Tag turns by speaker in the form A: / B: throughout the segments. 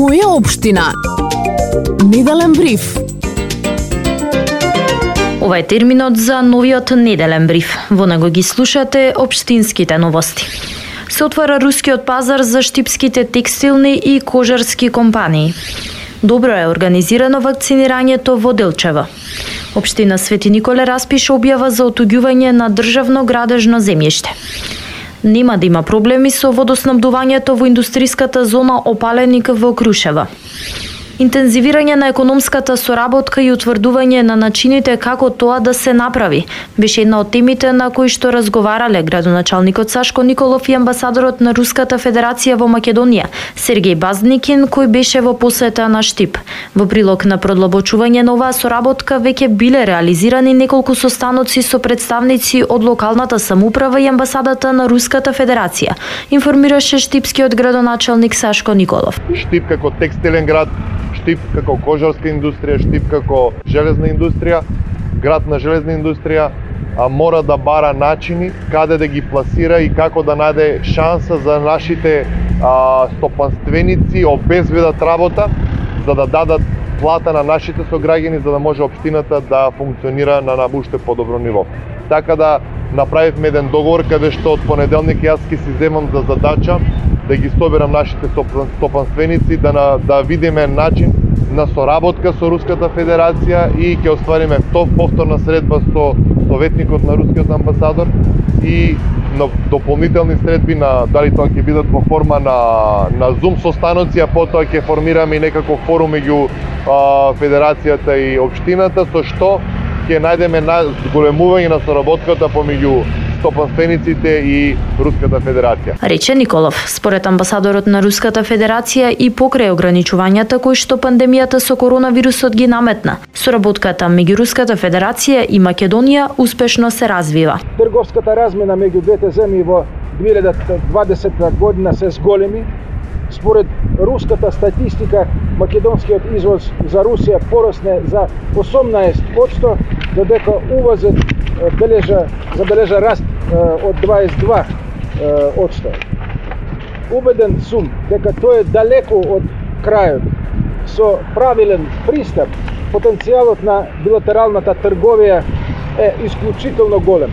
A: Моја општина. Неделен бриф.
B: Ова е терминот за новиот неделен бриф. Во него ги слушате општинските новости. Се отвара рускиот пазар за штипските текстилни и кожарски компании. Добро е организирано вакцинирањето во Делчево. Општина Свети Николе распиша објава за отуѓување на државно градежно земјиште. Нема да има проблеми со водоснабдувањето во индустријската зона Опаленик во Крушево. Интензивирање на економската соработка и утврдување на начините како тоа да се направи беше една од темите на кои што разговарале градоначалникот Сашко Николов и амбасадорот на Руската Федерација во Македонија Сергеј Базникин, кој беше во посета на Штип. Во прилог на продлабочување на оваа соработка веќе биле реализирани неколку состаноци со представници од локалната самоуправа и амбасадата на Руската Федерација, информираше штипскиот градоначалник Сашко Николов.
C: Штип како текстилен град, Штип како кожарска индустрија, Штип како железна индустрија, град на железна индустрија, мора да бара начини каде да ги пласира и како да најде шанса за нашите стопанственици, обезбедат работа, за да дадат плата на нашите сограѓани, за да може општината да функционира на уште подобро ниво. Така да направивме еден договор каде што од понеделник јас ќе си земам за задача да ги соберам нашите стопанственици, да видиме начин на соработка со Руската Федерација и ќе оствариме повторна средба со советникот на рускиот амбасадор и на дополнителни средби на дали тоа ќе бидат во форма на Zoom состаноци, а потоа ќе формираме и некаков форум меѓу Федерацијата и општината, со што ќе најдеме зголемување на соработката помеѓу стопанствениците и Руската Федерација.
B: Рече Николов, според амбасадорот на Руската Федерација и покрај ограничувањата кои што пандемијата со коронавирусот ги наметна, соработката меѓу Руската Федерација и Македонија успешно се развива.
D: Трговската размена меѓу двете земји во 2020 година се зголеми. Според руската статистика, македонскиот извоз за Русија порасне за 18%, додека увозот забележа раст од 22%. Убеден сум дека тоа е далеку од крајот. Со правилен пристап, потенцијалот на билатералната трговија е исклучително голем.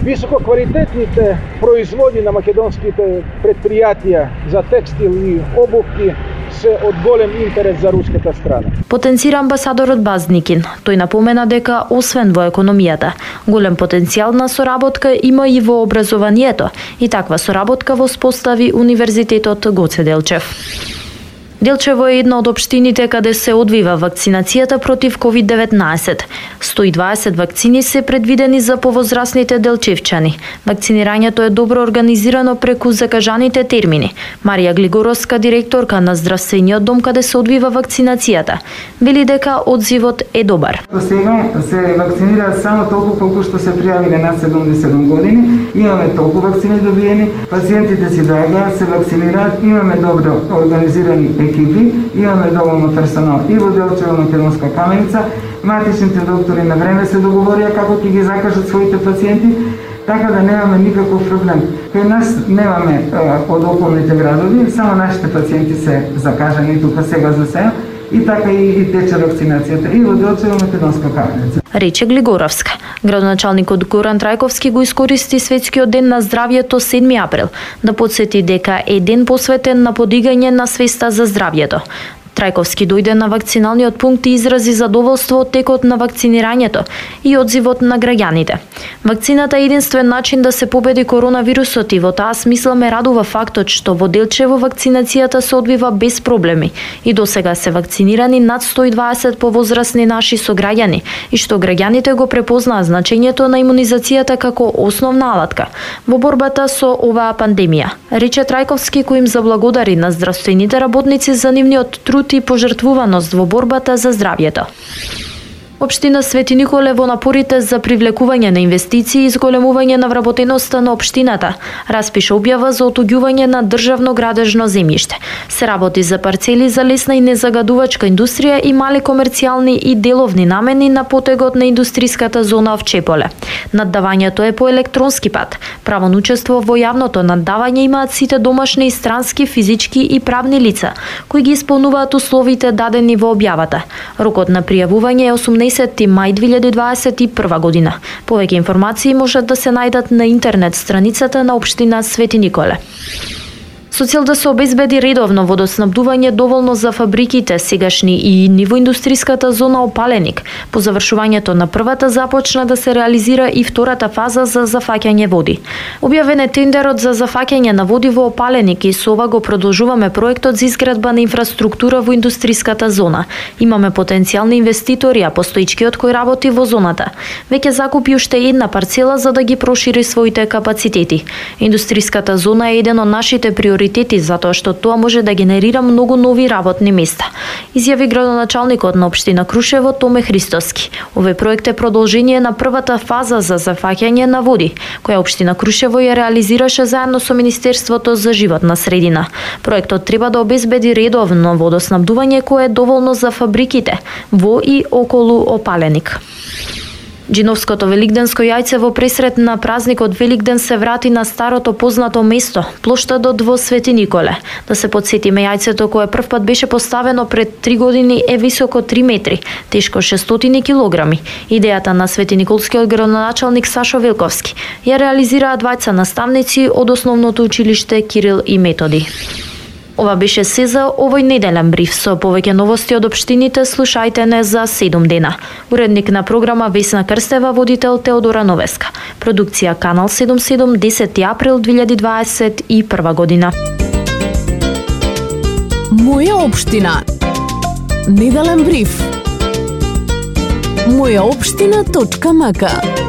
D: Висококвалитетните производи на македонските предпријатија за текстил и обувки се од голем интерес за руската страна.
B: Потенцира амбасадорот Базникин. Тој напомена дека освен во економијата, голем потенцијал на соработка има и во образованието и таква соработка воспостави Универзитетот Гоце Делчев. Делчево е една од општините каде се одвива вакцинацијата против COVID-19. 120 вакцини се предвидени за повозрасните делчевчани. Вакцинирањето е добро организирано преку закажаните термини. Марија Глигоровска, директорка на здравствениот дом каде се одвива вакцинацијата, вели дека одзивот е добар.
E: До сега се вакцинираат само толку колку што се пријавиле над 77 години. Имаме толку вакцини добиени, пациентите си доаѓаат, се вакцинираат, имаме добро организирани екипи, имаме доволно персонал и во Делчево Македонска каменица. Матичните доктори на време се договорија како ќе ги закажат своите пациенти, така да немаме никаков проблем. Кај нас немаме од околните градови, само нашите пациенти се закажани тука сега за сега. И така и тече вакцинацијата и во Делчево Македонска каменица.
B: Рече Глигоровска. Градоначалникот Горан Трајковски го искористи Светскиот ден на здравјето 7 април да потсети дека е ден посветен на подигање на свеста за здравјето. Трајковски дојде на вакциналниот пункт и изрази задоволство од текот на вакцинирањето и одзивот на граѓаните. Вакцината е единствен начин да се победи коронавирусот и во таа смисла ме радува фактот што во Делчево вакцинацијата се одвива без проблеми и досега се вакцинирани над 120 повозрасни наши сограѓани и што граѓаните го препознаа значењето на имунизацијата како основна алатка во борбата со оваа пандемија. Рече Трајковски, кој им заблагодари на здравствените работници за нивниот труд и пожртвуваност во борбата за здравјето. Општина Свети Николе во напорите за привлекување на инвестиции и зголемување на вработеноста на општината распиша објава за отуѓување на државно градежно земјиште. Се работи за парцели за лесна и незагадувачка индустрија и мали комерцијални и деловни намени на потегот на индустриската зона Овчеполе. Наддавањето е по електронски пат. Право на учество во јавното наддавање имаат сите домашни и странски физички и правни лица кои ги исполнуваат условите дадени во објавата. Рокот на пријавување е 18 мај 2021 година. Повеќе информации можат да се најдат на интернет страницата на општина Свети Николе. Со цел да се обезбеди редовно водоснабдување доволно за фабриките сегашни и ниво индустриската зона Опаленик, по завршувањето на првата започна да се реализира и втората фаза за зафаќање води. Објавен е тендерот за зафаќање на води во Опаленик и со ова го продолжуваме проектот за изградба на инфраструктура во индустриската зона. Имаме потенцијални инвеститори, а постоичкиот кој работи во зоната веќе закупи уште една парцела за да ги прошири своите капацитети. Индустриската зона е еден од нашите приоритети затоа што тоа може да генерира многу нови работни места, изјави градоначалникот на општина Крушево Томе Христоски. Овој проект е продолжение на првата фаза за зафаќање на води, која општина Крушево ја реализираше заедно со Министерството за животна средина. Проектот треба да обезбеди редовно водоснабдување кое е доволно за фабриките во и околу Опаленик. Джиновското великденско јајце во пресрет на празникот Великден се врати на старото познато место, плоштадот во Свети Николе. Да се потсетиме, јајцето кое првпат беше поставено пред 3 години е високо 3 метри, тешко 600 килограми. Идејата на Свети Николскиот градоначалник Сашо Велковски ја реализираа двајца наставници од основното училиште Кирил и Методи. Ова беше се за овој неделен бриф. Со повеќе новости од општините слушајте не за 7 дена. Уредник на програма Весна Крстева, водител Теодора Новеска. Продукција Канал 77, 10 април 2021 година.
A: Моја општина. Неделен бриф. Мојаопштина.мк